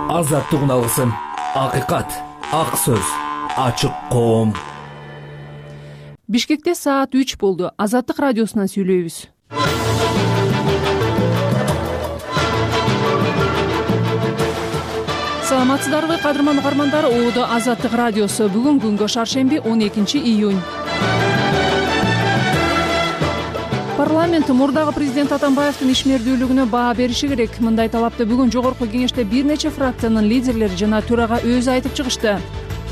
азаттыгын алгысың. Акыйкат, ак сөз, ачык коом. Бишкекте саат 3 болду. Азаттык радиосунан сүйлөйбүз. Саламатсыздарбы, кадырман угармандар. Оодо Азаттык радиосу. Бүгүн күнгө шаршемби 12 июнь. Парламент мурдагы президент Атамбаевдин ишмердүүлүгүнө баа бериши керек. Мындай талапты бүгүн жогорку кеңеште бир нече фракциянын лидерлери жана төрага өзү айтып чыгышты.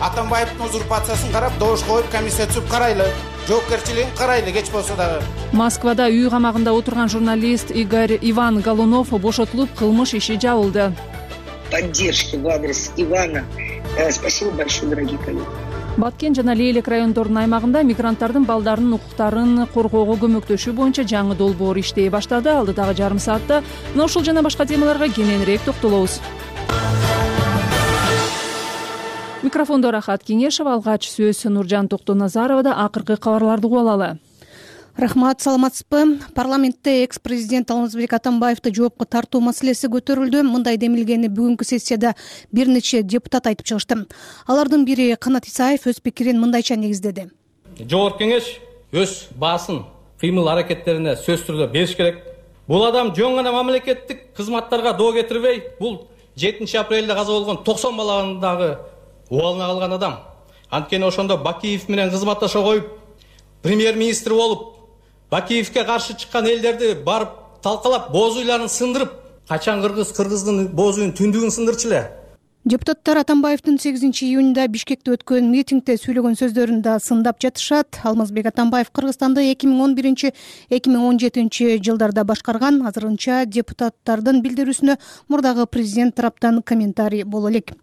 Атамбаевдин узурпациясын карап, добуш коюп, комиссия түзүп карайлы. Жоопкерчилигин карайлы, кеч болсо дагы. Москвада үй камагында отурган журналист Иван Голунов бошотулуп, кылмыш иши жабылды. Поддержки в адрес Ивана. Спасибо большое, дорогие коллеги. Баткен жана Лейлек райондорунун аймагында мигранттардын балдарынын укуктарын коргоого көмөктөшүү боюнча жаңы долбоор иштей баштады. Алдыдагы жарым саатта мына ушул жана башка темаларга кененирээк токтолобуз. Микрофондо Рахат Кеңешева, алгач сөз Нуржан Токтоназаровада. Акыркы кабарларды угуп алалы. Рахмат, саламатсызбы? Парламентте экс-президент Алмазбек Атамбаевди жоопко тартуу маселеси көтөрүлдү. Мындай демилгени бүгүнкү сессияда бир нече депутат айтып чыгышты. Алардын бири Канат Исаев өз пикирин мындайча негиздеди. Жогорку кеңеш өз баасын, кыймыл аракеттерине сөз түрдө бериш керек. Бул адам жөн гана мамлекеттик кызматтарга доо кетирбей, бул 7 апрелде каза болгон 90 баланын дагы убалына калган адам. Анткени ошондо Бакиев менен кызматташа коюп, премьер-министр болуп, Бакиевке каршы чыккан элдерди барып талкалап, боз уйларын сындырып, качан кыргыздын боз уйун түндүгүн сындырчу эле. Депутаттар Атамбаевдин 8 июнда Бишкекте өткөн митингде сүйлөгөн сөздөрүн да сындап жатышат. Алмазбек Атамбаев Кыргызстанды 2011-2017 жылдарда башкарган. Азырынча депутаттардын билдирүүсүнө мурдагы президент тараптан комментарий боло элек.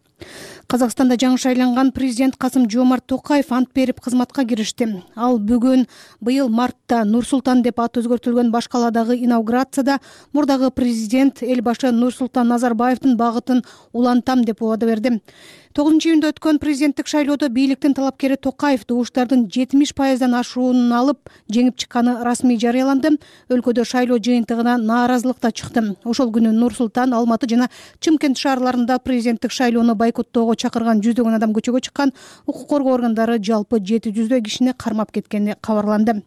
Казакстанда жаңы шайланган президент Касым-Жомарт Токаев ант берип кызматка киришти. Ал бүгүн быйыл мартта Нур-Султан деп аты өзгөртүлгөн баш калаадагы инаугурацияда мурдагы президент Элбашы Нурсултан Назарбаевдин багытын улантам деп убада берди. 9 июнда өткөн президенттик шайлоодо бийликтин талапкери Токаев добуштардын 70% ашуунун алып жеңип чыкканы расмий жарыяланды. Өлкөдө шайлоо жыйынтыгына нааразылык да чыкты. Ошол күнү Нур-Султан, Алматы жана Чымкент шаарларында президенттик шайлоону бойкоттоого чакырган жүздөгөн адам көчөгө чыккан. Укук коргоо органдары жалпы 700 кишини кармап кеткени кабарланды.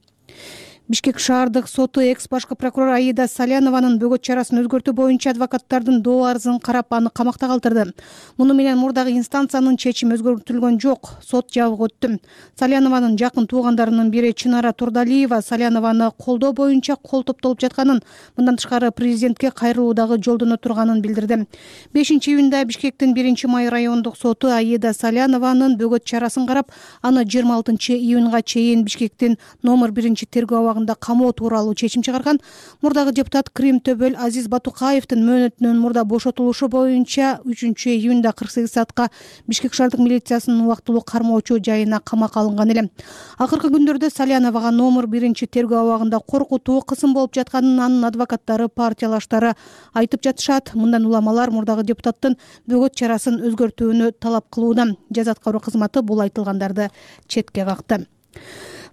Бишкек шаардык соту экс-башкы прокурор Аида Салянованын бөгөт чарасын өзгөртүү боюнча адвокаттардын доо арызын карап, аны камакта калтырды. Муну менен мурдагы инстанциянын чечими өзгөртүлгөн жок, сот жабык өттү. Салянованын жакын туугандарынын бири Чынара Турдалиева Салянованы колдоо боюнча кол топтолуп жатканын, мындан тышкары президентке кайрылуудагы жолдоно турганын билдирди. 5 июнда Бишкектин 1-май райондук соту Аида Салянованын бөгөт чарасын карап, аны 26 июнга чейин Бишкектин номер 1-тергөө камоо тууралуу чечим чыгарган. Мурдагы депутат Крим Төбөл Азиз Батукаевдин мөөнөтүнөн мурда бошотулушу боюнча 3 июнда 48 саатка Бишкек шаардык милициясынын убактылуу кармоочу жайына камакка алынган эле. Акыркы күндөрдө Саляновага номер 1-тергөө абагында коркутуу, кысым болуп жатканын анын адвокаттары, партиялаштары айтып жатышат. Мындан уламалар мурдагы депутаттын бөгөт чарасын өзгөртүүнү талап кылууда. Жаза аткаруу кызматы бул айтылгандарды четке какты.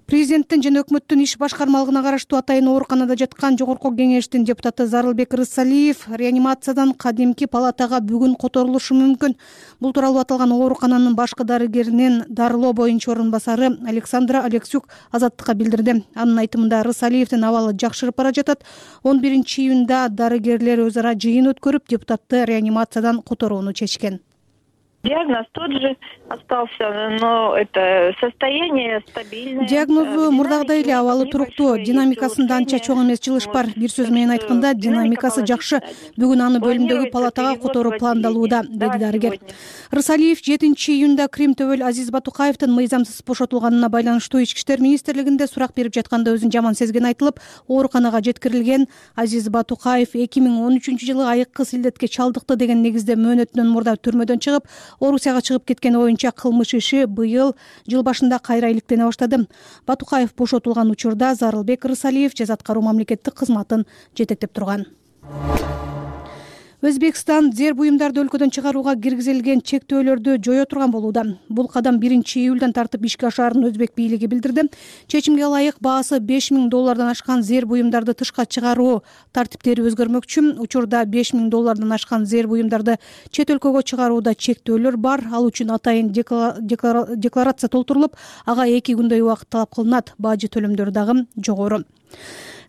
Президенттин жана өкмөттүн иш башкармалыгына караштуу атайын ооруканада жаткан жогорку кеңештин депутаты Зарылбек Рысалиев реанимациядан кадимки палатага бүгүн которулушу мүмкүн. Бул тууралуу аталган оорукананын башкы дарыгеринин дарылоо боюнча орун басары Александра Алексюк Азаттыкка билдирди. Анын айтымында Рысалиевдин абалы жакшырып бара жатат. 11 июнда дарыгерлер өз ара жыйын өткөрүп, депутатты реанимациядан которууну чечкен. Диагноз тот же остался, но это состояние стабильное. Диагнозу мурдагыдай эле, абалы туруктуу, динамикасында анча чоң эмес жылыш бар. Бир сөз менен айтканда, динамикасы жакшы. Бүгүн аны бөлүмдөгү палатага которуу пландалууда, деди дарыгер. Рысалиев 7 июнда Крим Төбөл Азиз Батукаевдин мыйзамсыз бошотулганына байланыштуу Ички иштер министрлигинде сурак берип жатканда өзүн жаман сезгени айтылып, ооруканага жеткирилген. Азиз Батукаев 2013 жылы айыккы силдетке чалдыкты деген негизде мөөнөтүнөн мурда түрмөдөн чыгып, Орусияга чыгып кеткени боюнча кылмыш иши быйыл жыл башында кайра иликтене баштады. Батукаев бошотулган учурда Зарылбек Рысалиев жаза аткаруу мамлекеттик кызматын жетектеп турган. Өзбекстан зер буюмдарды өлкөдөн чыгарууга киргизилген чектөөлөрдү жое турган болууда. Бул кадам 1-июлдан тартып ишке ашаарын өзбек бийлиги билдирди. Чечимге ылайык баасы $5.000 ашкан зер буюмдарды тышка чыгаруу тартиптери өзгөрмөкчү. Учурда $5.000 ашкан зер буюмдарды чет өлкөгө чыгарууда чектөөлөр бар. Ал үчүн атайын декларация толтурулуп, ага 2 күндөй убакыт талап кылынат. Бажы төлөмдөрү дагы жогору.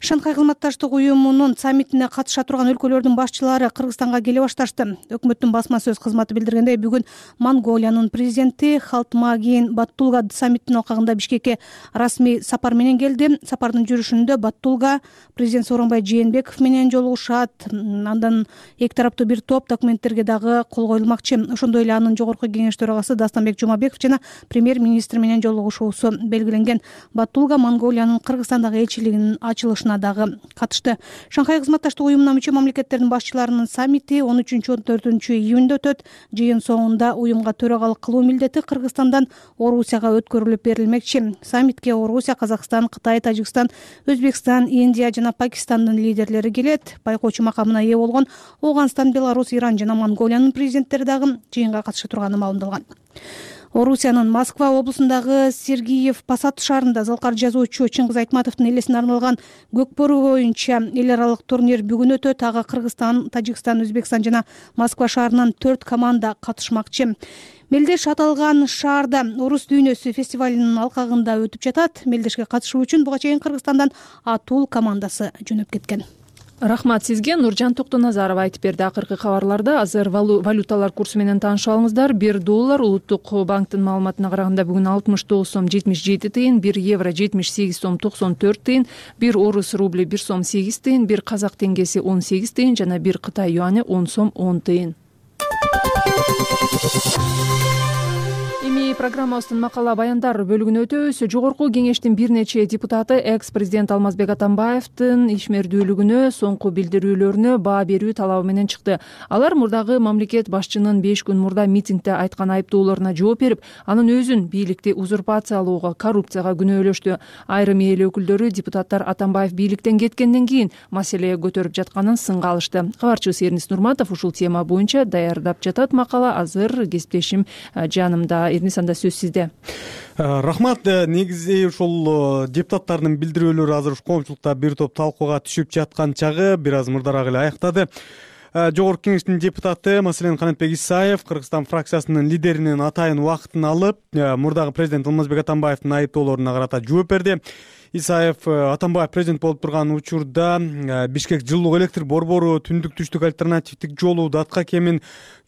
Шанхай кызматташтык уюмунун саммитине катыша турган өлкөлөрдүн башчылары Кыргызстанга келе башташты. Өкмөттүн басма сөз кызматы билдиргендей, бүгүн Монголиянын президенти Халтмаагийн Баттулга саммиттин алкагында Бишкекке расмий сапар менен келди. Сапардын жүрүшүндө Баттулга президент Сооронбай Жээнбеков менен жолугушат. Андан эки тараптуу бир топ документтерге дагы кол коюлмакчы. Ошондой эле анын жогорку кеңеш төрагасы Дастанбек Жумабеков жана премьер-министр менен жолугушуусу белгиленген. Баттулга Монголиянын Кыргызстандагы элчилигинин ачылышына дагы катышты. Шанхай кызматташтык уюмуна мүчө мамлекеттердин башчыларынын саммити 13-14 июнда өтөт. Жыйын соңунда уюмга төрагалык кылуу милдети Кыргызстандан Орусияга өткөрүлүп берилмекчи. Саммитке Орусия, Казакстан, Кытай, Тажикстан, Өзбекстан, Индия жана Пакистандын лидерлери келет. Байкоочу макамына ээ болгон Ооганстан, Беларусь, Иран жана Монголиянын президенттери дагы жыйынга катыша турганы маалымдалган. Орусиянын Москва облусундагы Сергиев Посад шаарында залкар жазуучу Чыңгыз Айтматовдун элесине арналган көкбөрү боюнча эл аралык турнир бүгүн өтөт. Ага Кыргызстан, Тажикстан, Өзбекстан жана Москва шаарынан 4 команда катышмакчы. Мелдеш аталган шаарда Орус дүйнөсү фестивалынын алкагында өтүп жатат. Мелдешке катышуу үчүн буга чейин Кыргызстандан Атул командасы жөнөп кеткен. Рахмат сизге. Нуржан Токтоназарова айтып берди. Акыркы кабарларда азыр валюталар курсу менен таанышып алыңыздар. $1 улуттук банктын маалыматына караганда бүгүн 69 сом 77 тыйын, 1 евро 78 сом 94 тыйын, 1 орус рубли 1 сом 8 тыйын, 1 казак теңгеси 18 тыйын жана 1 Кытай юаны 10 сом 10 тыйын. Эми программабыздын макала баяндар бөлүгүнө өтөбүз. Жогорку кеңештин бир нече депутаты экс-президент Алмазбек Атамбаевдин ишмердүүлүгүнө, соңку билдирүүлөрүнө баа берүү талабы менен чыкты. Алар мурдагы мамлекет башчынын 5 күн мурда митингде айткан айыптоолоруна жооп берип, анын өзүн бийликти узурпациялоого, коррупцияга күнөөлөштү. Айрым эл өкүлдөрү депутаттар Атамбаев бийликтен кеткенден кийин маселе көтөрүп жатканын сынга алышты. Кабарчыбыз Эрнис Нурматов ушул тема боюнча даярдап жатат макала. Азыр кесиптешим жанымда. Эрнис, анда сөз сизде. Рахмат. Негизи ушул депутаттардын билдирүүлөрү азыр ушу коомчулукта бир топ талкууга түшүп жаткан чагы бир аз мурдараак эле аяктады. Жогорку кеңештин депутаты, маселен, Канатбек Исаев Кыргызстан фракциясынын лидеринин атайын убактын алып, мурдагы президент Алмазбек Атамбаевдин айыптоолоруна карата жооп берди. Исаев Атамбаев президент болуп турган учурда Бишкек жылуу электр борбору, түндүк-түштүк альтернативдик жолу, Датка кемин,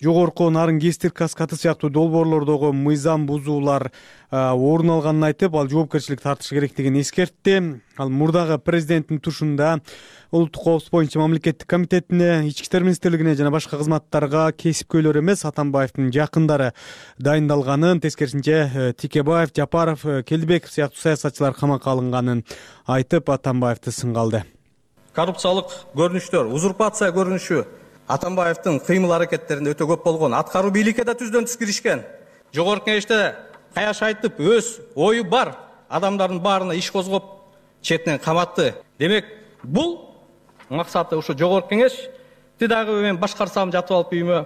жогорку нарын Кестир Каскаты сыяктуу долбоорлордогу мыйзам бузуулар орун алганын айтып, ал жоопкерчилик тартышы керектигин эскертти. Ал мурдагы президенттин тушунда улуттук коопсуздук боюнча мамлекеттик комитетине, ички иштер министрлигине жана башка кызматтарга кесипкөйлөр эмес, Атамбаевдин жакындары дайындалганын, тескерисинче Тикебаев, Жапаров, Келдибеков сыяктуу саясатчылар камакка алынганын айтып, Атамбаевди сынга алды. Коррупциялык көрүнүштөр, узурпация көрүнүшү Атамбаевдин кыймыл аракеттеринде өтө көп болгон. Аткаруу бийликке да түздөн түз киришкен. Жогорку кеңеште каяш айтып, өз ою бар адамдардын баарына иш козгоп, четинен каматты. Демек, бул максаты ушу жогорку кеңешти дагы мен башкарсам жатып алып үйүмө,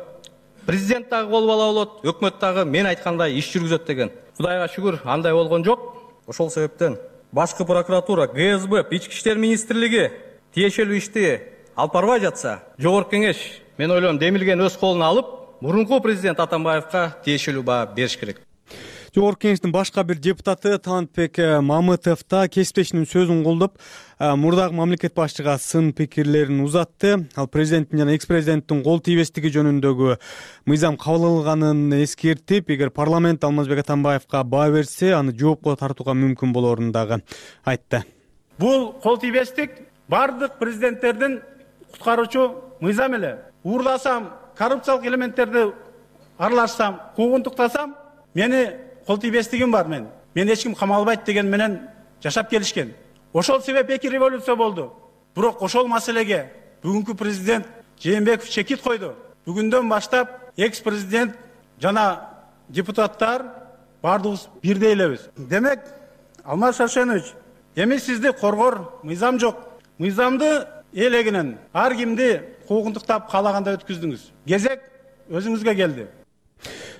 президент дагы болуп ала болот, өкмөт дагы мен айткандай иш жүргүзөт деген. Кудайга шүгүр, андай болгон жок. Ошол себептен башкы прокуратура, ГСБ, ички иштер министрлиги тиешелүү ишти алып барбай жатса, жогорку кеңеш, мен ойлойм, демилген өз колуна алып, мурунку президент Атамбаевга тиешелүү баа бериш керек. Жогорку кеңештин башка бир депутаты Талантбек Мамытов да кесиптешинин сөзүн колдоп, мурдагы мамлекет башчыга сын пикирлерин узатты. Ал президенттин жана экс-президенттин кол тийбестиги жөнүндөгү мыйзам кабыл алынганын эскертип, эгер парламент Алмазбек Атамбаевга баа берсе, аны жоопко тартууга мүмкүн болоорун дагы айтты. Бул кол тийбестик бардык президенттердин куткаруучу мыйзам эле. Уурдасам, коррупциялык элементтерди аралашсам, куугунтуктасам, мени кол тийбестигим бар мен эч ким камалбайт деген менен жашап келишкен. Ошол себеп эки революция болду. Бирок ошол маселеге бүгүнкү президент Жээнбеков чекит койду. Бүгүндөн баштап экс-президент жана депутаттар бардыгыбыз бирдей элебиз. Демек, Алмаз Шаршенович, эми сизди коргор мыйзам жок. Мыйзамды элегинен ар кимди куугунтуктап каалагандай өткүздүңүз. Кезек өзүңүзгө келди.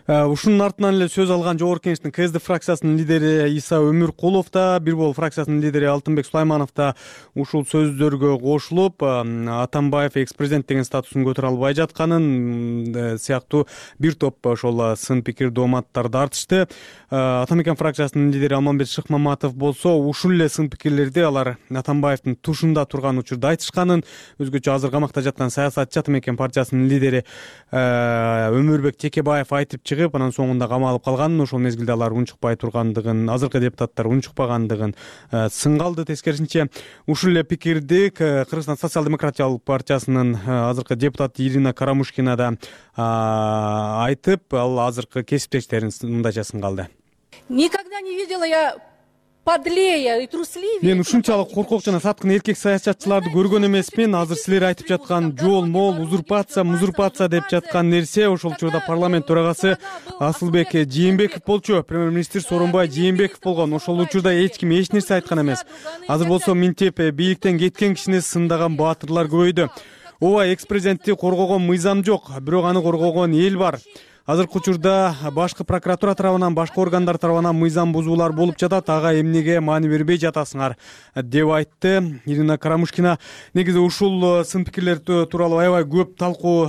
Ушунун артынан эле сөз алган Жогорку Кеңештин КСДП фракциясынын лидери Иса Өмүркулов да, Бир Бол фракциясынын лидери Алтынбек Сулайманов да ушул сөздөргө кошулуп, Атамбаев экс-президент деген статусун көтөрө албай жатканын сыяктуу бир топ ошол сын пикир дооматтарды артышты. Атамекен фракциясынын лидери Алмамбет Шыкмаматов болсо ушул эле сын пикирлерди алар Атамбаевдин тушунда турган учурда айтышканын, өзгөчө азыр камакта жаткан саясатчы Атамекен партиясынын лидери Өмүрбек Текебаев айтып чыгып, анан соңунда камалып калганын, ошол мезгилде алар унчукпай тургандыгын, азыркы депутаттар унчукпагандыгын сынга алды. Тескерисинче ушул эле пикирди Кыргызстан социал-демократиялык партиясынын азыркы депутаты Ирина Карамушкина да айтып, ал азыркы кесиптештерин мындайча сынга алды. Никогда не видела я подлее и трусливее. Мен ушунчалык коркок жана саткын эркек саясатчыларды көргөн эмесмин. Азыр силер айтып жаткан жол мол, узурпация деп жаткан нерсе ошол учурда парламент төрагасы Асылбек Жээнбеков болчу. Премьер-министр Сооронбай Жээнбеков болгон. Ошол учурда эч ким эч нерсе айткан эмес. Азыр болсо минтип бийликтен кеткен кишини сындаган баатырлар көбөйдү. Ооба, экс-президентти коргогон мыйзам жок, бирок аны коргогон эл бар. Азыркы учурда башкы прокуратура тарабынан, башкы органдар тарабынан мыйзам бузуулар болуп жатат. Ага эмнеге маани бербей жатасыңар деп айтты Ирина Карамушкина. Негизи ушул сын пикирлер тууралуу аябай көп талкуу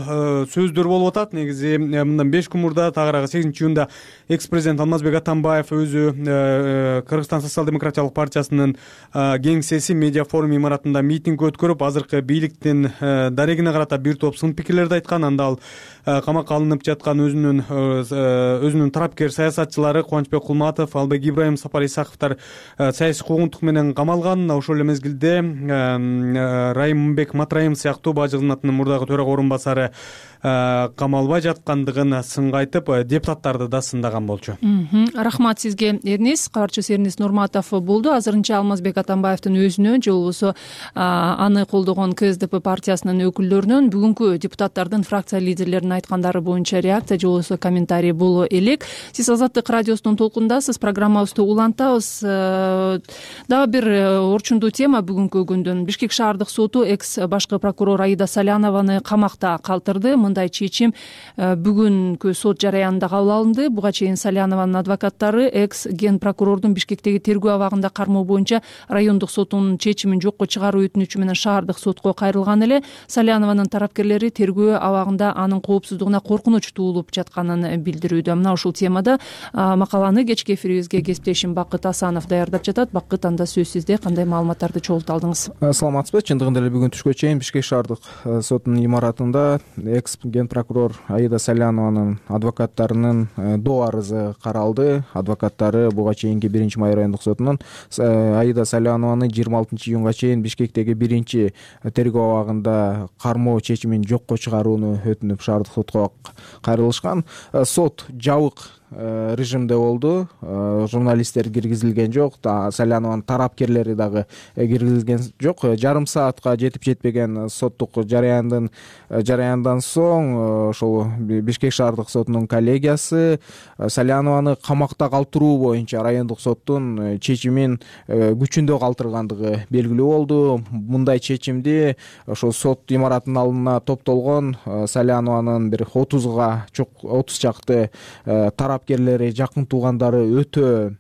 сөздөр болуп атат. Негизи мындан 5 күн мурда, тагыраагы 8-июнда экс-президент Алмазбек Атамбаев өзү Кыргызстан социал-демократиялык партиясынын кеңсеси медиа форум имаратында митинг өткөрүп, азыркы бийликтин дарегине карата бир топ сын пикирлерди айткан. Анда ал камакка алынып жаткан өзүнүн тарапкер саясатчылары Кубанычбек Кулматов, Албек Ибраим, Сапар Исаковдор саясий куугунтук менен камалган. Ошол эле мезгилде Райымбек Матраим сыяктуу бажы кызматынын мурдагы төрага орун басары камалбай жаткандыгын сынга айтып, депутаттарды да сындаган болчу. Рахмат сизге, Эрнис. Кабарчыбыз Эрнис Нурматов болду. Азырынча Алмазбек Атамбаевдин өзүнөн же болбосо аны колдогон КСДП партиясынын өкүлдөрүнөн бүгүнкү депутаттардын фракция лидерлеринин айткандары боюнча реакция же болбосо комментарий боло элек. Сиз Азаттык радиосунун толкундасыз. Программабызды улантабыз. Дагы бир орчундуу тема бүгүнкү күндөн. Бишкек шаардык соту экс башкы прокурор Аида Салянованы камакта калтырды. Мындай чечим бүгүнкү сот жараянында кабыл алынды. Буга чейин Салянованын адвокаттары экс ген прокурордун Бишкектеги тергөө абагында кармоо боюнча райондук соттун чечимин жокко чыгаруу өтүнүчү менен шаардык сотко кайрылган эле. Салянованын тарапкерлери тергөө абагында анын коопсуздугуна коркунуч туулуп жатканын билдирүүдө. Мына ушул темада макаланы кечки эфирибизге кесиптешим Бакыт Асанов даярдап жатат. Бакыт, анда сөз сизде. Кандай маалыматтарды чогултуп алдыңыз? Саламатсызбы? Чындыгында эле бүгүн түшкө чейин Бишкек шаардык сотунун имаратында экс ген прокурор Аида Салянованын адвокаттарынын доо арызы каралды. Адвокаттары буга чейинки 1-май райондук сотунун Аида Салянованы 26-июнга чейин Бишкектеги 1 тергөө абагында кармоо чечимин жокко чыгарууну өтүнүп шаардык сотко кайрылышкан. Сот жабык режимде болду. Журналисттер киргизилген жок, Салянованын тарапкерлери дагы киргизилген жок. Жарым саатка жетип жетпеген соттук жараяндан соң ошол Бишкек шаардык сотунун коллегиясы Салянованы камакта калтыруу боюнча райондук соттун чечимин күчүндө калтыргандыгы белгилүү болду. Мындай чечимди ошол сот имаратынын алдына топтолгон Салянованын бир 30 чакты тарапкерлери, жакын туугандары өтө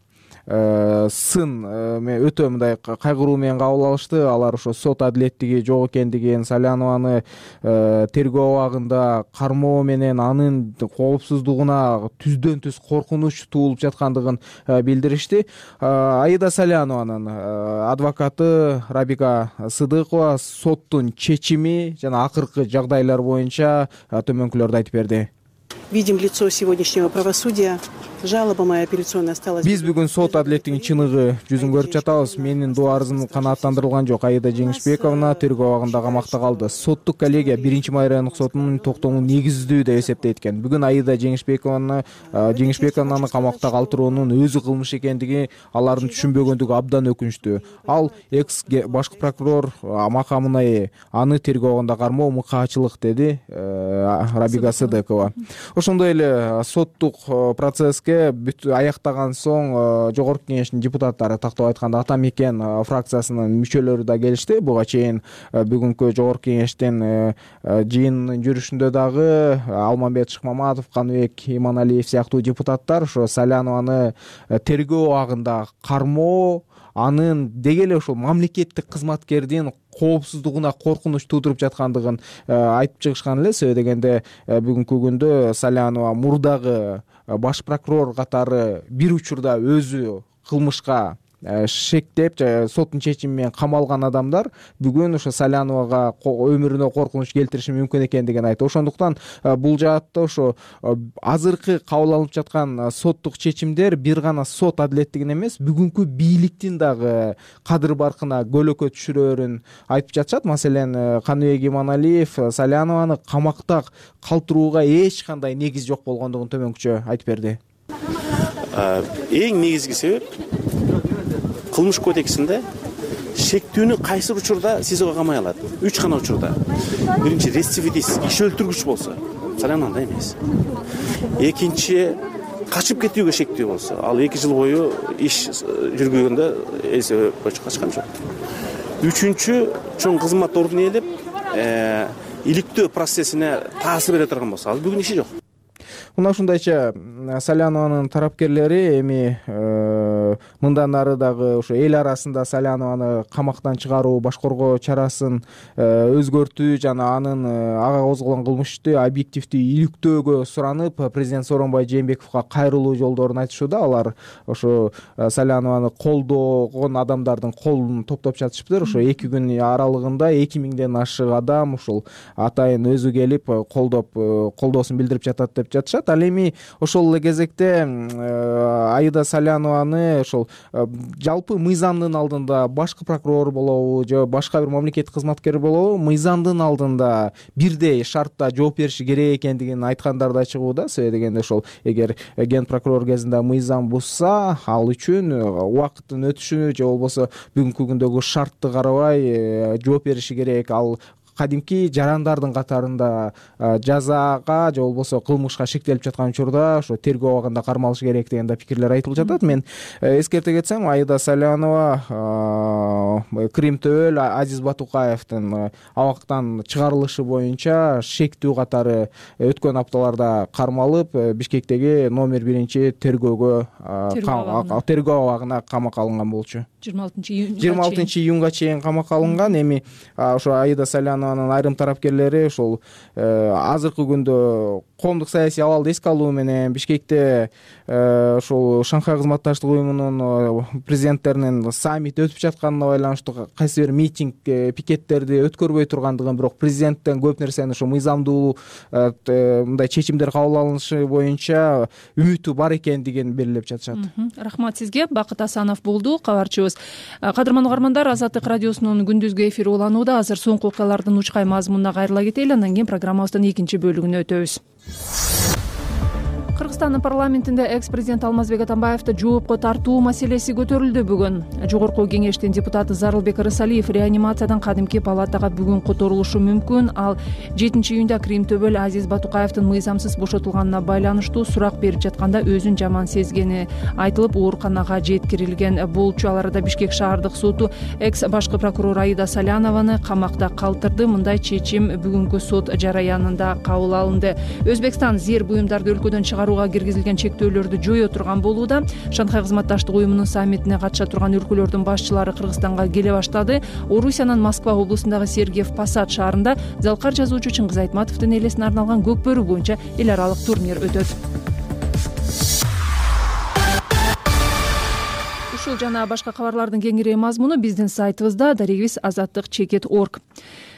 мындай кайгыруу менен кабыл алышты. Алар ошо сот адилеттиги жок экендигин, Салянованы тергөө абагында кармоо менен анын коопсуздугуна түздөн түз коркунуч туулуп жаткандыгын билдиришти. Аида Салянованын адвокаты Рабика Сыдыкова соттун чечими жана акыркы жагдайлар боюнча төмөнкүлөрдү айтып берди. Видим лицо сегодняшнего правосудия. Жалоба моя апелляционная осталась. Биз бүгүн сот адилеттигинин чыныгы жүзүн көрүп жатабыз. Менин доо арызым канааттандырылган жок. Аида Жеңишбековна тергөө абагында камакта калды. Соттук коллегия 1-май райондук сотунун токтомун негиздүү деп эсептейт экен. Бүгүн Аида Жеңишбековнаны камакта калтыруунун өзү кылмыш экендиги алардын түшүнбөгөндүгү абдан өкүнүчтүү. Ал экс башкы прокурор макамына аны тергөө абагында кармоо мыкаачылык, деди Рабика Сыдыкова. ошондой эле соттук процесске бүт аяктаган соң жогорку кеңештин депутаттары, тактап айтканда Ата Мекен фракциясынын мүчөлөрү да келишти. Буга чейин бүгүнкү жогорку кеңештин жыйынынын жүрүшүндө дагы Алмамбет Шыкмаматов, Каныбек Иманалиев сыяктуу депутаттар ошо Салянованы тергөө абагында кармоо, анын деги эле ошол мамлекеттик кызматкердин коопсуздугуна коркунуч туудуруп жаткандыгын айтып чыгышкан эле. Себеби дегенде бүгүнкү күндө Салянова мурдагы баш прокурор катары бир учурда өзү кылмышка шектеп соттун чечими менен камалган адамдар бүгүн ошо Саляновага өмүрүнө коркунуч келтириши мүмкүн экендигин айтты. Ошондуктан бул жаатта ошо азыркы кабыл алынып жаткан соттук чечимдер бир гана сот адилеттигин эмес, бүгүнкү бийликтин дагы кадыр баркына көлөкө түшүрөөрүн айтып жатышат. Маселен, Каныбек Иманалиев Салянованы камакта калтырууга эч кандай негиз жок болгондугун төмөнкүчө айтып берди. Эң негизги себеп кылмыш кодексинде шектүүнү кайсы учурда СИЗОго камай алат? 3 гана учурда. Биринчи рецидивист, иш өлтүргүч болсо, Саляновда эмес. Экинчи качып кетүүгө шектүү болсо, ал 2 жыл бою иш жүргүзгөндө эсеби боюнча качкан жок. Үчүнчү чоң кызмат ордун ээлеп, иликтөө процессине таасир бере турган болсо, ал бүгүн иши жок. Мына ушундайча Салянованын тарапкерлери эми мындан ары дагы ошо эл арасында Салянованы камактан чыгаруу, башкаруу чарасын өзгөртүү жана анын ага козголгон кылмышты объективдүү иликтөөгө суранып, президент Сооронбай Жээнбековго кайрылуу жолдорун айтышууда. Алар ошо Салянованы колдогон адамдардын колун топтоп жатышыптыр. Ошо 2 күн аралыгында 2000ден ашык адам ушул атайын өзү келип колдоосун билдирип жатат деп жатышат. Ал эми ошол эле кезекте Аида Салянованы ошол жалпы мыйзамдын алдында башкы прокурор болобу же башка бир мамлекеттик кызматкер болобу, мыйзамдын алдында бирдей шартта жооп бериши керек экендигин айткандар да чыгууда. Себеби дегенде ошол эгер ген прокурор кезинде мыйзам бузса, ал үчүн убакыттын өтүшүнө же болбосо бүгүнкү күндөгү шартты карабай жооп бериши керек. Ал кадимки жарандардын катарында жазага же болбосо кылмышка шектелип жаткан учурда ошо тергөө абагында кармалышы керек деген да пикирлер айтылып жатат. Мен эскерте кетсем, Аида Салянова Крим Төбөл Азиз Батукаевдин абактан чыгарылышы боюнча шектүү катары өткөн апталарда кармалып, Бишкектеги номер 1 тергөө абагына камакка алынган болчу. 26 июнга чейин камакка алынган. Эми ошо Аида Салянованын айрым тарапкерлери ошол азыркы күндө коомдук саясий абалды эске алуу менен Бишкекте ошол Шанхай кызматташтык уюмунун президенттеринин саммити өтүп жатканына байланыштуу кайсы бир митинг, пикеттерди өткөрбөй тургандыгын, бирок президенттен көп нерсени ошо мыйзамдуу мындай чечимдер кабыл алынышы боюнча үмүтү бар экендигин белгилеп жатышат. Рахмат сизге. Бакыт Асанов болду кабарчыбыз. Кадырман угармандар, Азаттык радиосунун күндүзгү эфири уланууда. Азыр соңку окуялардын учкай мазмунуна кайрыла кетели, андан кийин программабыздын 2 бөлүгүнө өтөбүз. Кыргызстандын парламентинде экс-президент Алмазбек Атамбаевди жоопко тартуу маселеси көтөрүлдү бүгүн. Жогорку кеңештин депутаты Зарылбек Рысалиев реанимациядан кадимки палатага бүгүн которулушу мүмкүн. Ал 7 июнда Крим Төбөл Азиз Батукаевдин мыйзамсыз бошотулганына байланыштуу сурак берип жатканда өзүн жаман сезгени айтылып, ооруканага жеткирилген болчу. Ал арада Бишкек шаардык соту экс башкы прокурор Аида Салянованы камакта калтырды. Мындай чечим бүгүнкү сот жараянында кабыл алынды. Өзбекстан зер буюмдарды өлкөдөн чыгарууга киргизилген чектөөлөрдү жое турган болууда. Шанхай кызматташтык уюмунун саммитине катыша турган өлкөлөрдүн башчылары Кыргызстанга келе баштады. Орусиянын Москва облусундагы Сергиев Посад шаарында залкар жазуучу Чыңгыз Айтматовдун элесине арналган көк бөрү боюнча эл аралык турнир өтөт. Ушул жана башка кабарлардын кеңири мазмуну биздин сайтыбызда darigis.azattik.org.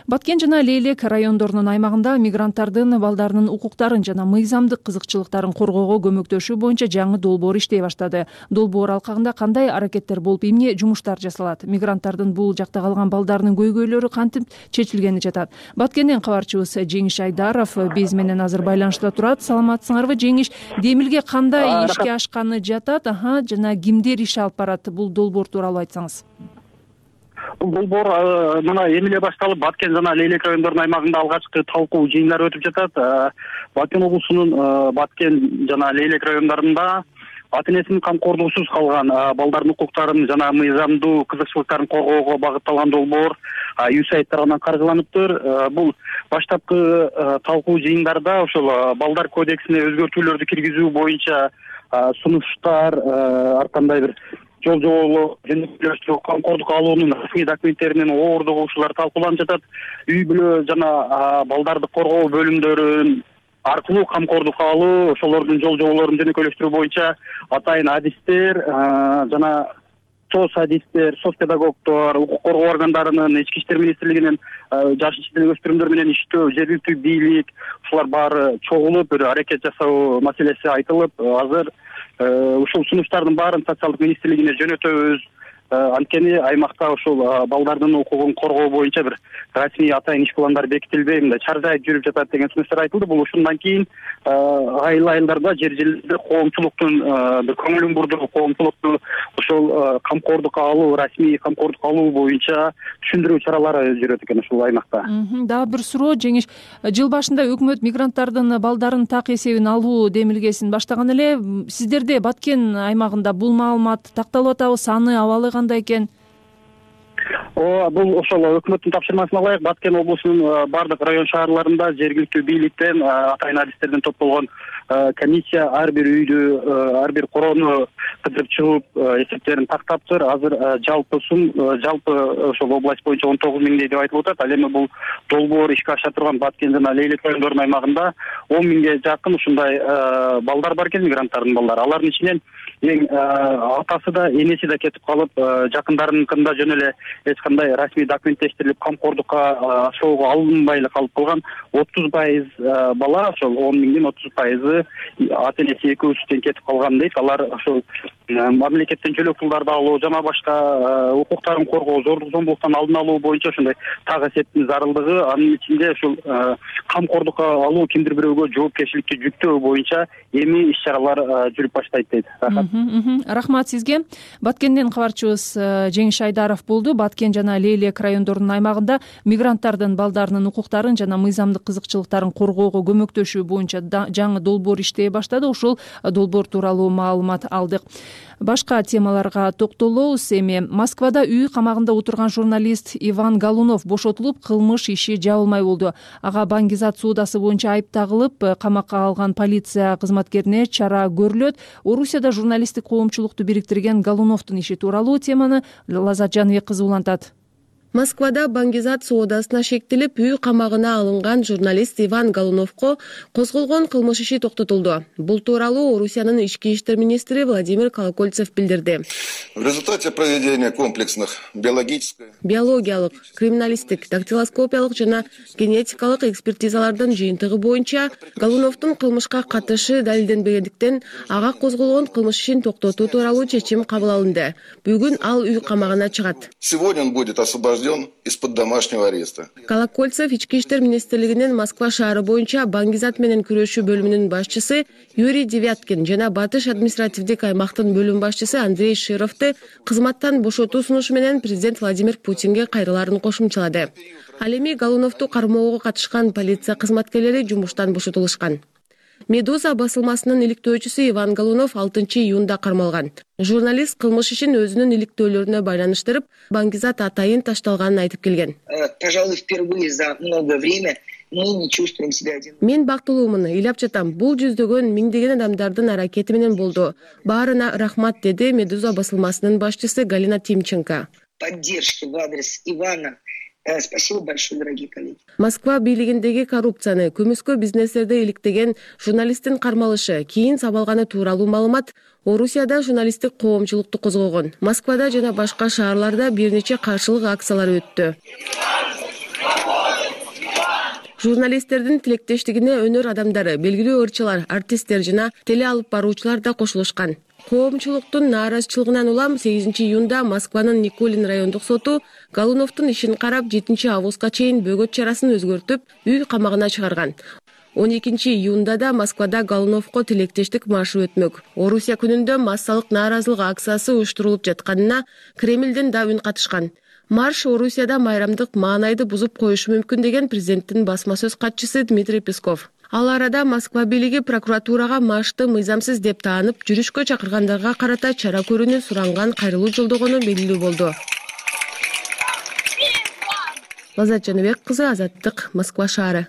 Баткен жана Лейлек райондорунун аймагында мигранттардын балдарынын укуктарын жана мыйзамдык кызыкчылыктарын коргоого көмөктөшүү боюнча жаңы долбоор иштей баштады. Долбоор алкагында кандай аракеттер болуп, эмне жумуштар жасалат? Мигранттардын бул жакта калган балдарынын көйгөйлөрү кантип чечилгени жатат? Баткенден кабарчыбыз Жеңиш Айдаров биз менен азыр байланышта турат. Саламатсыңарбы, Жеңиш? Демилге кандай ишке ашканы жатат? Жана кимдер иш алып барат? Бул долбоор тууралуу айтсаңыз. Бул долбоор мына эми эле башталып, Баткен жана Лейлек райондорунун аймагында алгачкы талкуу жыйындар өтүп жатат. Баткен облусунун Баткен жана Лейлек райондорунда ата энесинин камкордугусуз калган балдардын укуктарын жана мыйзамдуу кызыкчылыктарын коргоого багытталган долбоор USAID тарабынан каржыланыптыр. Бул баштапкы талкуу жыйындарда ошол балдар кодексине өзгөртүүлөрдү киргизүү боюнча сунуштар, ар кандай бир жол жоболоо, жөнөкөйлөштүрүү, камкордук алуунун расмий документтеринин оордугу ушулар талкууланып жатат. Үй бүлө жана балдарды коргоо бөлүмдөрүн аркылуу камкордук алуу, ошолордун жол жоболорун жөнөкөйлөштүрүү боюнча атайын адистер жана соц адистер, соц педагогдор, укук коргоо органдарынын, Ички иштер министрлигинин жаш жана өспүрүмдөр менен иштөө, жергиликтүү бийлик, ушулар баары чогулуп бир аракет жасоо маселеси айтылып, азыр ушул сунуштардын баарын социалдык министрлигине жөнөтөбүз. Анткени аймакта ушул балдардын укугун коргоо боюнча бир расмий атайын иш пландар бекитилбей, мындай чаржайып жүрүп жатат деген сунуштар айтылды. Бул ушундан кийин айылдарда, жер-жерлерде коомчулуктун бир көңүлүн бурдуруп, коомчулукту ушул камкордукка алуу, расмий камкордукка алуу боюнча түшүндүрүү чаралары жүрөт экен ушул аймакта. Дагы бир суроо, Жеңиш. Жыл башында өкмөт мигранттардын балдарын так эсебин алуу демилгесин баштаган эле. Сиздерде Баткен аймагында бул маалымат такталып атабы? Саны, абалы кандай экен? Бул ошол өкмөттүн тапшырмасына ылайык Баткен облусунун бардык район шаарларында жергиликтүү бийликтен, атайын адистерден топтолгон комиссия ар бир үйдү, ар бир короону кыдырып чыгып, эсептерин тактаптыр. Азыр жалпы ошол область боюнча 19 миңдей деп айтылып атат. Ал эми бул долбоор ишке аша турган Баткен жана Лейлек райондорунун аймагында 10 миңге жакын ушундай балдар бар экен, мигранттардын балдары. Алардын ичинен эң атасы да, энеси да кетип калып, жакындарыныкында жөн эле эч кандай расмий документтештирилип камкордукка ашоого алынбай эле калып калган 30% бала, ошол 10 миңдин 30% ата энеси экөөсүздөн кетип калган дейт. Алар ошол мамлекеттен жөлөк пулдарды алуу жана башка укуктарын коргоо, зордук зомбулуктан алдын алуу боюнча ошондой так эсептин зарылдыгы, анын ичинде ушул камкордукка алуу, кимдир бирөөгө жоопкерчиликке жүктөө боюнча эми иш-чаралар жүрүп баштайт дейт. Рахмат сизге. Баткенден кабарчыбыз Жеңиш Айдаров болду. Баткен жана Лейлек райондорунун аймагында мигранттардын балдарынын укуктарын жана мыйзамдык кызыкчылыктарын коргоого көмөктөшүү боюнча жаңы долбоор иштей баштады. Ушул долбоор тууралуу маалымат алдык. Башка темаларга токтолобуз. Эми Москвада үй камагында отурган журналист Иван Голунов бошотулуп, кылмыш иши жабылмай болду. Ага Баңгизат суудасы боюнча айып тагылып, камакка алган полиция кызматкерине чара көрүлөт. Орусияда журналисттик коомчулукту бириктирген Голуновдун иши тууралуу теманы Лазат Жаныбек кызы улантат. Москвада Баңгизат соодасына шектелип, үй камагына алынган журналист Иван Голуновго козголгон кылмыш иши токтотулду. Бул тууралуу Орусиянын ички иштер министри Владимир Колокольцев билдирди. В результате проведения комплексных биологиялык, криминалисттик, дактилоскопиялык жана генетикалык экспертизалардын жыйынтыгы боюнча Голуновдун кылмышка катышы далилденбегендиктен ага козголгон кылмыш ишин токтотуу тууралуу чечим кабыл алынды. Бүгүн ал үй камагына чыгат. Сегодня он будет освобожден из-под домашнего ареста. Колокольцев ички иштер министрлигинин Москва шаары боюнча Баңгизат менен күрөшүү бөлүмүнүн башчысы Юрий Девяткин жана Батыш административдик аймактын бөлүм башчысы Андрей Шировду кызматтан бошотуу сунушу менен президент Владимир Путинге кайрыларын кошумчалады. Ал эми Голуновду кармоого катышкан полиция кызматкерлери жумуштан бошотулушкан. Медуза басылмасынын иликтөөчүсү Иван Голунов 6 июнда кармалган. Журналист кылмыш ишин өзүнүн иликтөөлөрүнө байланыштырып, Баңгизат атайын ташталганын айтып келген. Пожалуй, впервые за много время мы не чувствуем себя одинокими. Мен бактылуумун, ыйлап жатам. Бул жүздөгөн, миңдеген адамдардын аракети менен болду. Баарына рахмат, деди Медуза басылмасынын башчысы Галина Тимченко. Поддержки в адрес Ивана. Спасибо большое, дорогие коллеги. Москва бийлигиндеги коррупцияны, көмүскө бизнестерди иликтеген журналисттин кармалышы, кийин сабалганы тууралуу маалымат Орусияда журналисттик коомчулукту козгогон. Москвада жана башка шаарларда бир нече каршылык акциялары өттү. Журналисттердин тилектештигине өнөр адамдары, белгилүү ырчылар, артисттер жана теле алып баруучулар да кошулушкан. Коомчулуктун нааразычылыгынан улам 8 июнда Москванын Никулин райондук соту Голуновдун ишин карап 7 августка чейин бөгөт чарасын өзгөртүп, үй камагына чыгарган. 12 июнда да Москвада Голуновго тилектештик маршы өтмөк. Орусия күнүндө массалык нааразылык акциясы уюштурулуп жатканына Кремлден да үн катышкан. Марш Орусияда майрамдык маанайды бузуп коюшу мүмкүн деген президенттин басма сөз катчысы Дмитрий Песков. Ал арада Москва бийлиги прокуратурага маршты мыйзамсыз деп таанып, жүрүшкө чакыргандарга карата чара көрүүнү суранган кайрылуу жолдогону белгилүү болду. Лаззат Жаныбек кызы, Азаттык, Москва шаары.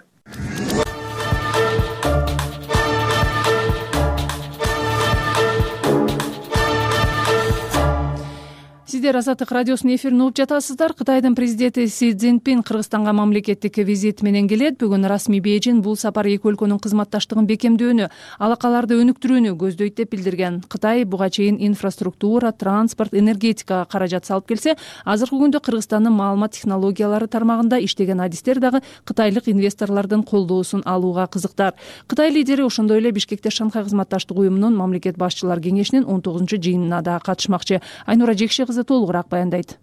Сиздер Азаттык радиосунун эфирин угуп жатасыздар. Кытайдын президенти Си Цзиньпин Кыргызстанга мамлекеттик визит менен келет. Бүгүн расмий Бейжин бул сапар эки өлкөнүн кызматташтыгын бекемдөөнү, алакаларды өнүктүрүүнү көздөйт деп билдирген. Кытай буга чейин инфраструктура, транспорт, энергетикага каражат салып келсе, азыркы күндө Кыргызстандын маалымат технологиялары тармагында иштеген адистер дагы кытайлык инвесторлордун колдоосун алууга кызыктар. Кытай лидери ошондой эле Бишкекте Шанхай кызматташтык уюмунун мамлекет башчылар кеңешинин 19-жыйынына да катышмакчы. Айнура Жекше кызы толугураак баяндайт.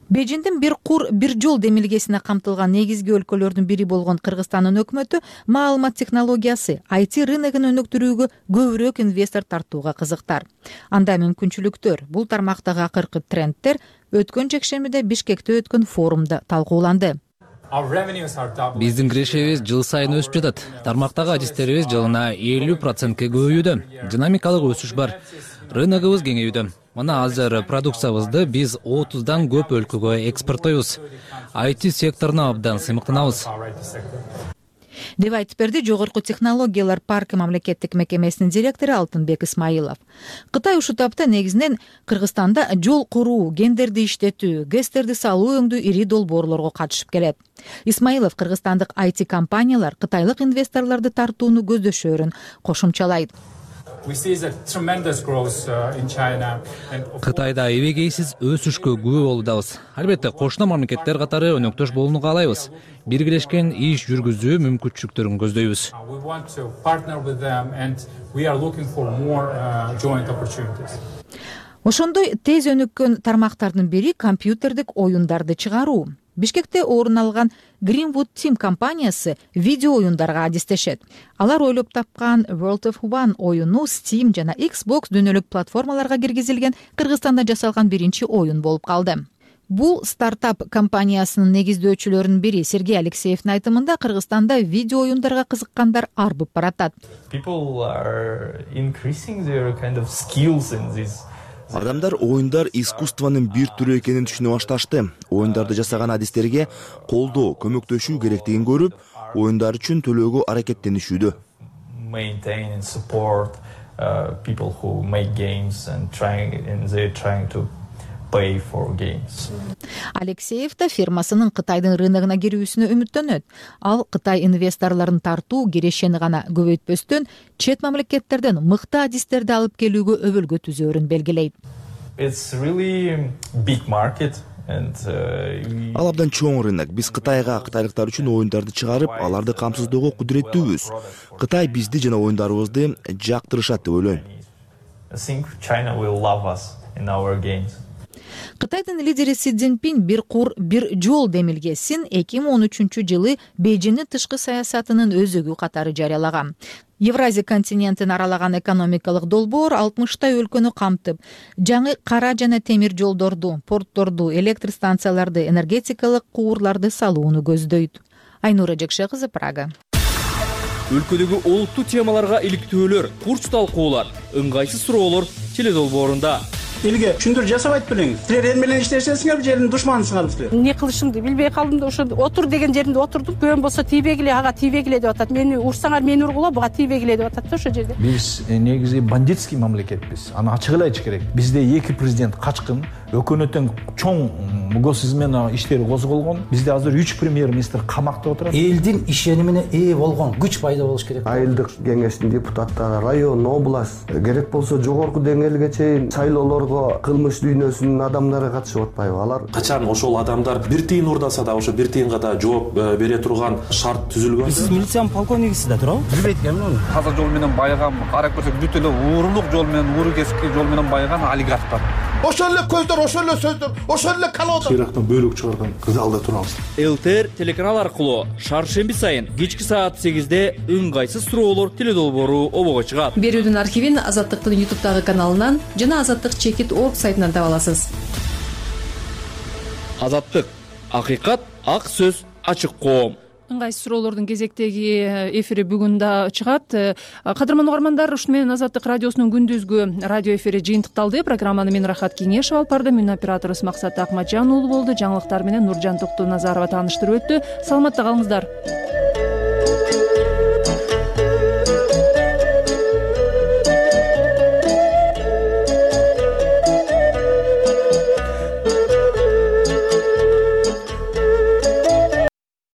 Бейжиндин бир кур, бир жол демилгесине камтылган негизги өлкөлөрдүн бири болгон Кыргызстандын өкмөтү маалымат технологиясы, IT рыногун өнүктүрүүгө көбүрөөк инвестор тартууга кызыктар. Анда мүмкүнчүлүктөр, бул тармактагы акыркы трендтер өткөн жекшембиде Бишкекте өткөн форумда талкууланды. Биздин кирешебиз жыл сайын өсүп жатат. Тармактагы адистерибиз жылына 50%-ке көбөйүүдө. Динамикалык өсүш бар. Рыногубуз кеңейүүдө. Мына азыр продукциябызды биз 30дан көп өлкөгө экспорттойбуз. IT секторуна абдан сыймыктанабыз. Деп айтып берди Жогорку технологиялар паркы мамлекеттик мекемесинин директору Алтынбек Исмаилов. Кытай ушул тапта негизинен Кыргызстанда жол куруу, гендерди иштетүү, гэстерди салуу өңдүү ири долбоорлорго катышып келет. Исмаилов кыргызстандык IT компаниялар кытайлык инвесторлорду тартууну көздөшөөрүн кошумчалайт. Кытайда эбегейсиз өсүшкө күбө болуудабыз. Албетте, кошуна мамлекеттер катары өнөктөш болууну каалайбыз. Биргелешкен иш жүргүзүү мүмкүнчүлүктөрүн көздөйбүз. Ошондой тез өнүккөн тармактардын бири компьютердик оюндарды чыгаруу. Бишкекте орун алган Greenwood Team компаниясы видео оюндарга адистешет. Алар ойлоп тапкан World of One оюну Steam жана Xbox дүйнөлүк платформаларга киргизилген Кыргызстанда жасалган биринчи оюн болуп калды. Бул стартап компаниясынын негиздөөчүлөрүнүн бири Сергей Алексеевдин айтымында Кыргызстанда видео оюндарга кызыккандар арбып баратат. Адамдар оюндар искусствонун бир түрү экенин түшүнө башташты. Оюндарды жасаган адистерге колдоо, көмөктөшүү керектигин көрүп, оюндар үчүн төлөөгө аракеттенишүүдө. Алексеев да фирмасынын Кытайдын рыногуна кирүүсүнө үмүттөнөт. Ал Кытай инвесторлорун тартуу кирешени гана көбөйтпөстөн, чет мамлекеттерден мыкты адистерди алып келүүгө өбөлгө түзөөрүн белгилейт. Ал абдан чоң рынок. Биз Кытайга кытайлыктар үчүн оюндарды чыгарып, аларды камсыздоого кудуреттүүбүз. Кытай бизди жана оюндарыбызды жактырышат деп ойлойм. Кытайдын лидери Си Цзиньпин бир кур, бир жол демилгесин 2013-жылы Бейжиндин тышкы саясатынын өзөгү катары жарыялаган. Евразия континентин аралаган экономикалык долбоор 60 өлкөнү камтып, жаңы кара жана темир жолдорду, портторду, электр станцияларды, энергетикалык куурларды салууну көздөйт. Айнура Жекше кызы, Прага. Өлкөдөгү олуттуу темаларга иликтөөлөр, курч талкуулар, ыңгайсыз суроолор теледолбоорунда. Элге түшүндүрүп жасабайт белеңиз. Силер эл менен иштешесиңер, жердин душманысыңар силер. Эмне кылышымды билбей калдым да ошо отур деген жеринде отурдум. Көөм болсо тийбегиле, ага тийбегиле деп атат. Мени урсаңар мени ургула, буга тийбегиле деп атат да ошо жерде. Биз негизи бандитский мамлекетпиз. Аны ачык эле айтыш керек. Бизде эки президент качкын, өкмөттүн чоң госизмена иштери козголгон. Бизде азыр 3 премьер-министр камакта отурат. Элдин ишенимине ээ болгон күч пайда болуш керек. Айылдык кеңештин депутаттары, район, область, керек болсо жогорку деңгээлге чейин шайлоолорго кылмыш дүйнөсүнүн адамдары катышып атпайбы? Алар качан ошол адамдар бир тыйын урдаса да ошо бир тыйынга да жооп бере турган шарт түзүлгөн. Сиз милициянын полковнигисиз да туурабы? Билбейт экенмин. Таза жол менен байыган, карап көрсөк бүт эле уурулук жол менен, ууру кесипки жол менен байыган олигархтар. Ошол эле көздөр, ошол эле сөздөр, ошол эле калоодо. Ирактан бөлүк чыгарган залда турабыз. ЛТР телеканал аркылуу шаршемби сайын кечки саат 8-де ыңгайсыз суроолор теледолбоору обого чыгат. Берүүдүн архивин Азаттыктын YouTube каналынан жана Азаттык Чекит.org сайтынан таба аласыз. Азаттык, акыйкат, ак сөз, ачык коом. Ыңгайсыз суроолордун кезектеги эфири бүгүн да чыгат. Кадырман угармандар, ушуну менен Азаттык радиосунун күндүзгү радио эфири жыйынтыкталды. Программаны мен Рахат Кеңешева алып бардым. Үнүн операторубуз Максат Акматжан уулу болду. Жаңылыктар менен Нуржан Токтоназарова тааныштырып өттү. Саламатта калыңыздар.